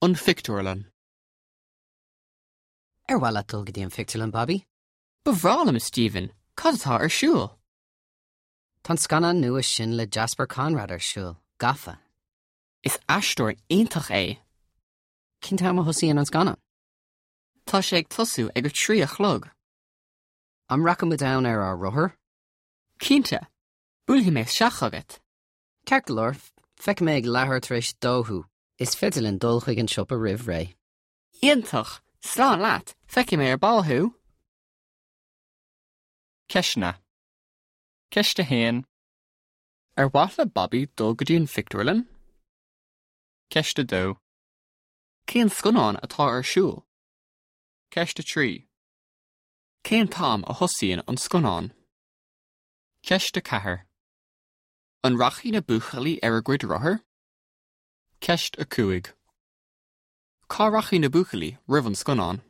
An Phictiúrlann. Ar mhaith leat dul go dtí an phictiúrlann, Bobby? Ba bhreá liom, a Stephen. Cad atá ar siúl? Tá an scannán nua sin le Jasper Conrad ar siúl, Gafa. Is aisteoir iontach é. Cén t-am a thosaíonn an scannán? Tá sé ag tosú ag a 3 a chlog. An rachaidh muid ann ar ár rothair? Cinnte! Buailfidh mé isteach chugat. Ceart go leor, feicfidh mé ag leathuair tar éis a dó thú. Is féidir linn dul chuig an siopa roimh ré. Iontach! Slán leat, feicfidh mé ar ball thú! Ceisteanna. Ceist 1. Ar mhaith le Bobby dul go dtí an phictiúrlann? Ceist 2. Cén scannán atá ar siúl? Ceist 3. Cén t-am a thosaíonn an scannán? Ceist 4. An rachaidh na buachaillí ar a gcuid rothar? Ceist 5. Cá rachaidh na buachaillí roimh an scannán?